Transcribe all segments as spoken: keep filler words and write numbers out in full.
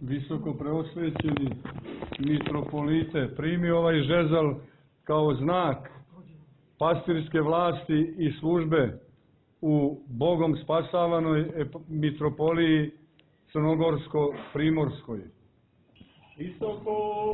Visoko preosvećeni mitropolite, primi ovaj žezal kao znak pastirske vlasti i službe u Bogom spasavanoj mitropoliji Crnogorsko-Primorskoj. Visoko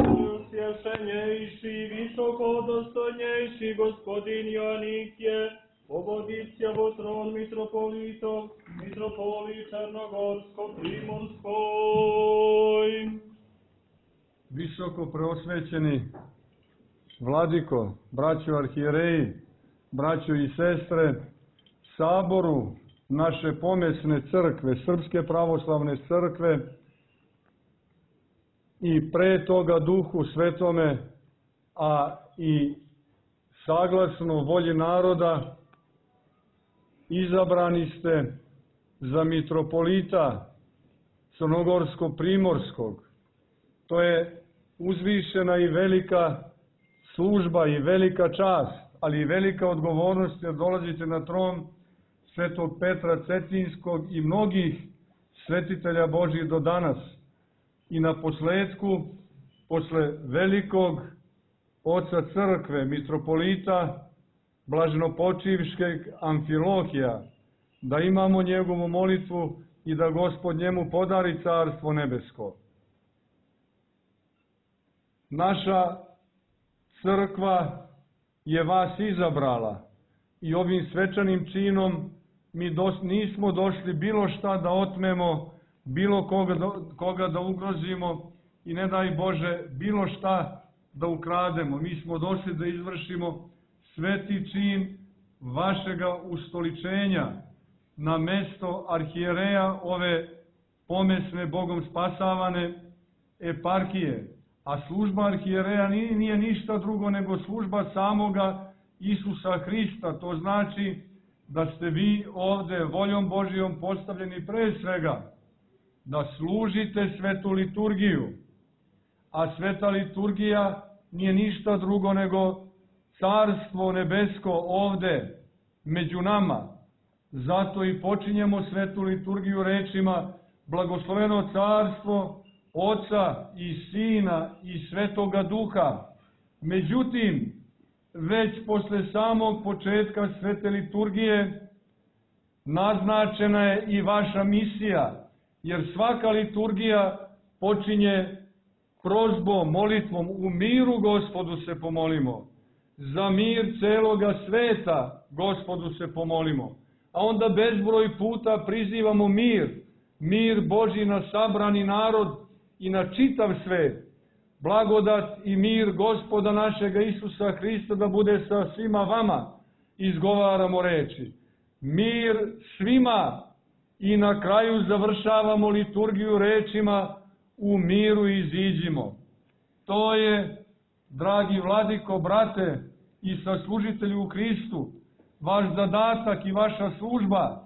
svješenjejši, visoko dostojnjejši gospodin Joanikije, povoditja vo tron mitropolitov, mitropoli Crnogorsko-Primorskoj. Visoko preosvećeni vladiko, braćo arhijereji, braćo i sestre, saboru naše pomesne crkve, Srpske pravoslavne crkve, i pre toga Duhu Svetome, a i saglasno volji naroda, izabrani ste za mitropolita Crnogorsko-Primorskog. To je uzvišena i velika služba i velika čast, ali i velika odgovornost, jer dolazite na tron Svetog Petra Cetinjskog i mnogih svetitelja Božih do danas. I na posledku, posle velikog oca crkve, mitropolita blaženopočivškeg Amfilohija, da imamo njegovu molitvu i da Gospod njemu podari carstvo nebesko. Naša crkva je vas izabrala i ovim svečanim činom mi dos, nismo došli bilo šta da otmemo, bilo koga da, koga da ugrozimo i ne daj Bože bilo šta da ukrademo. Mi smo došli da izvršimo sveti čin vašega ustoličenja na mesto arhijereja ove pomesne Bogom spasavane eparhije. A služba arhijereja nije, nije ništa drugo nego služba samoga Isusa Hrista. To znači da ste vi ovde voljom Božijom postavljeni pre svega da služite svetu liturgiju. A sveta liturgija nije ništa drugo nego carstvo nebesko ovde među nama. Zato i počinjemo svetu liturgiju rečima: blagosloveno carstvo Oca i Sina i Svetoga Duha. Međutim, već posle samog početka svete liturgije naznačena je i vaša misija, jer svaka liturgija počinje prozbom, molitvom: u miru Gospodu se pomolimo, za mir celoga sveta Gospodu se pomolimo. A onda bezbroj puta prizivamo mir, mir Božji na sabrani narod i na čitav svet. Blagodat i mir Gospoda našega Isusa Hrista da bude sa svima vama, izgovaramo reči. Mir svima. I na kraju završavamo liturgiju rečima: u miru iziđimo. To je, dragi vladiko, brate i saslužitelju u Hristu, vaš zadatak i vaša služba,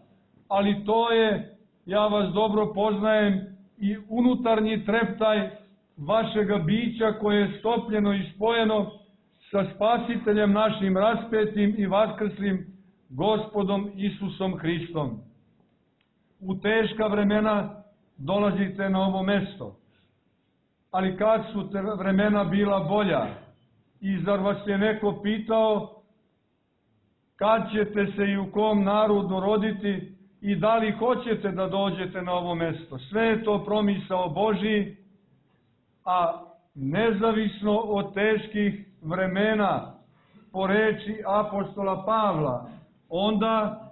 ali to je, ja vas dobro poznajem, i unutarnji treptaj vašega bića koje je stopljeno i spojeno sa Spasiteljem našim raspetim i vaskrslim Gospodom Isusom Hristom. U teška vremena dolazite na ovo mesto, ali kad su te vremena bila bolja, i zar vas je neko pitao kad ćete se i u kom narodu roditi i da li hoćete da dođete na ovo mesto? Sve je to promisao Božji, a nezavisno od teških vremena, po reči apostola Pavla, onda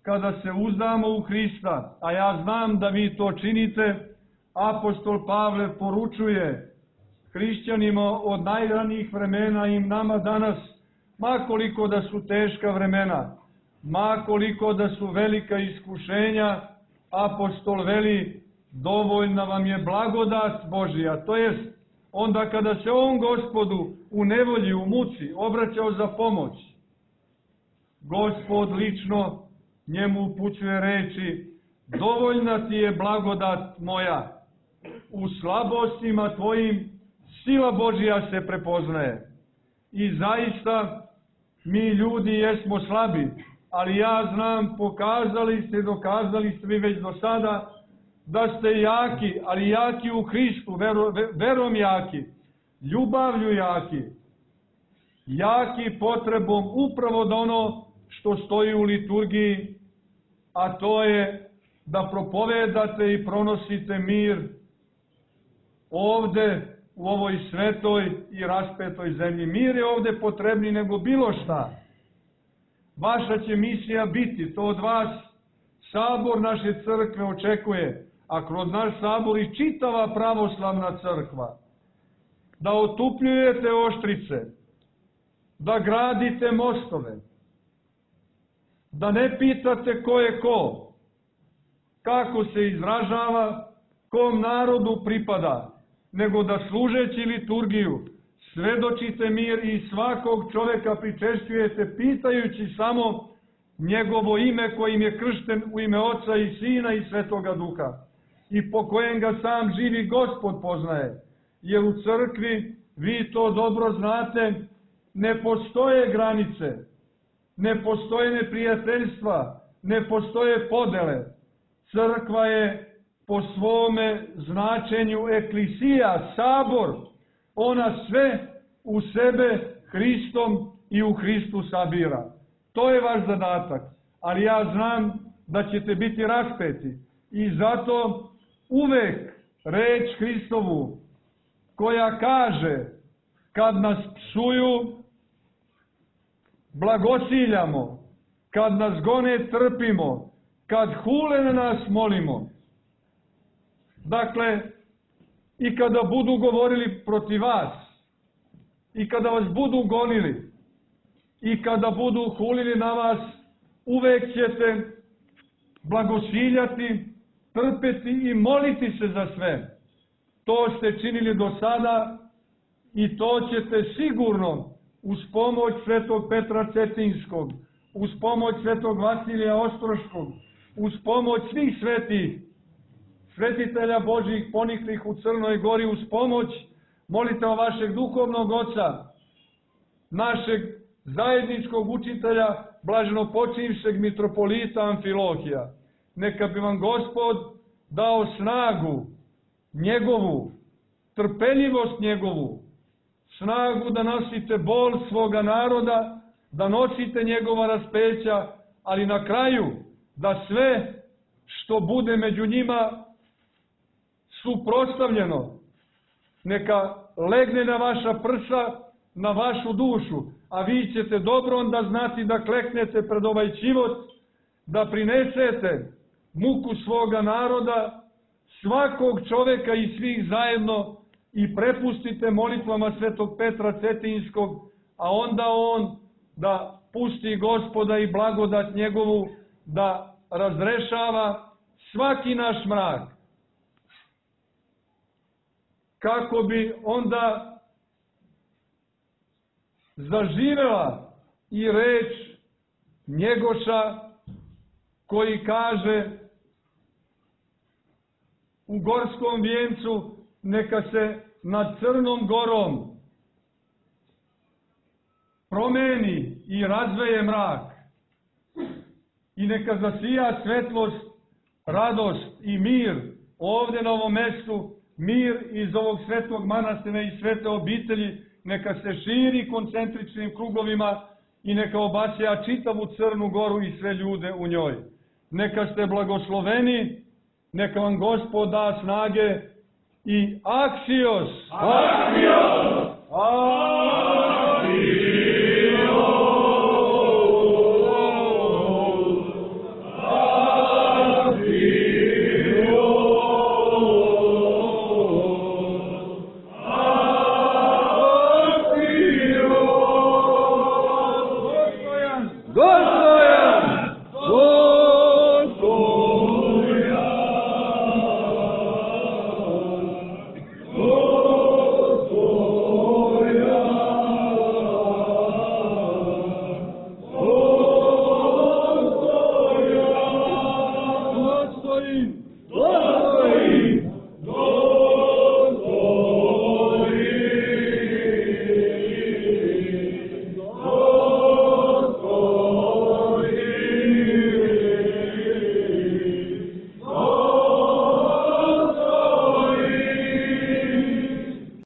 kada se uzdamo u Hrista, a ja znam da vi to činite, apostol Pavle poručuje hrišćanima od najranijih vremena i nama danas: ma koliko da su teška vremena, ma koliko da su velika iskušenja, apostol veli: dovoljna vam je blagodat Božija. To jest, onda kada se on Gospodu u nevolji, u muci obraćao za pomoć, Gospod lično njemu upućuje reči: dovoljna ti je blagodat moja, u slabostima tvojim sila Božija se prepoznaje. I zaista mi ljudi jesmo slabi, ali ja znam, pokazali ste, dokazali ste vi već do sada da ste jaki, ali jaki u Hristu, vero, verom jaki, ljubavlju jaki, jaki potrebom upravo da ono što stoji u liturgiji, a to je da propovedate i pronosite mir ovde u ovoj svetoj i raspetoj zemlji. Mir je ovde potrebniji nego bilo šta. Vaša će misija biti, to od vas sabor naše crkve očekuje, a kroz naš sabor i čitava pravoslavna crkva, da otupljujete oštrice, da gradite mostove, da ne pitate ko je ko, kako se izražava, kom narodu pripada, nego da služeći liturgiju svedočite mir i svakog čoveka pričešćujete pitajući samo njegovo ime kojim je kršten u ime Oca i Sina i Svetoga Duha i po kojem ga sam živi Gospod poznaje. Jer u crkvi, vi to dobro znate, ne postoje granice, ne postoje neprijateljstva, ne postoje podele. Crkva je po svome značenju eklisija, sabor, ona sve u sebe Hristom i u Hristu sabira. To je vaš zadatak, ali ja znam da ćete biti raspeti i zato uvek reč Hristovu koja kaže kad nas psuju blagosiljamo, kad nas gone trpimo, kad hule na nas molimo. Dakle, i kada budu govorili protiv vas, i kada vas budu gonili, i kada budu hulili na vas, uvek ćete blagosiljati, trpeti i moliti se za sve. To ste činili do sada i to ćete sigurno uz pomoć svetog Petra Cetinskog, uz pomoć svetog Vasilija Ostroškog, uz pomoć svih svetih, svetitelja Božjih poniklih u Crnoj Gori, uz pomoć molitva vašeg duhovnog oca, našeg zajedničkog učitelja, blaženopočivšeg mitropolita Amfilohija. Neka bi vam Gospod dao snagu njegovu, trpeljivost njegovu, snagu da nosite bol svoga naroda, da nosite njegova raspeća, ali na kraju da sve što bude među njima suprotstavljeno, neka legne na vaša prsa, na vašu dušu, a vi ćete dobro onda znati da kleknete pred ovaj život, da prinesete muku svoga naroda, svakog čoveka i svih zajedno i prepustite molitvama svetog Petra Cetinskog, a onda on da pusti Gospoda i blagodat njegovu da razrešava svaki naš mrak. Kako bi onda zaživela i reč Njegoša koji kaže u Gorskom vijencu neka se nad Crnom Gorom promeni i razveje mrak i neka zasija svetlost, radost i mir ovde na ovom mestu, mir iz ovog svetog manastira i svete obitelji, neka se širi koncentričnim krugovima i neka obasja čitavu Crnu Goru i sve ljude u njoj. Neka ste blagosloveni, neka vam Gospod da snage i aksios! Aksios! Aksios!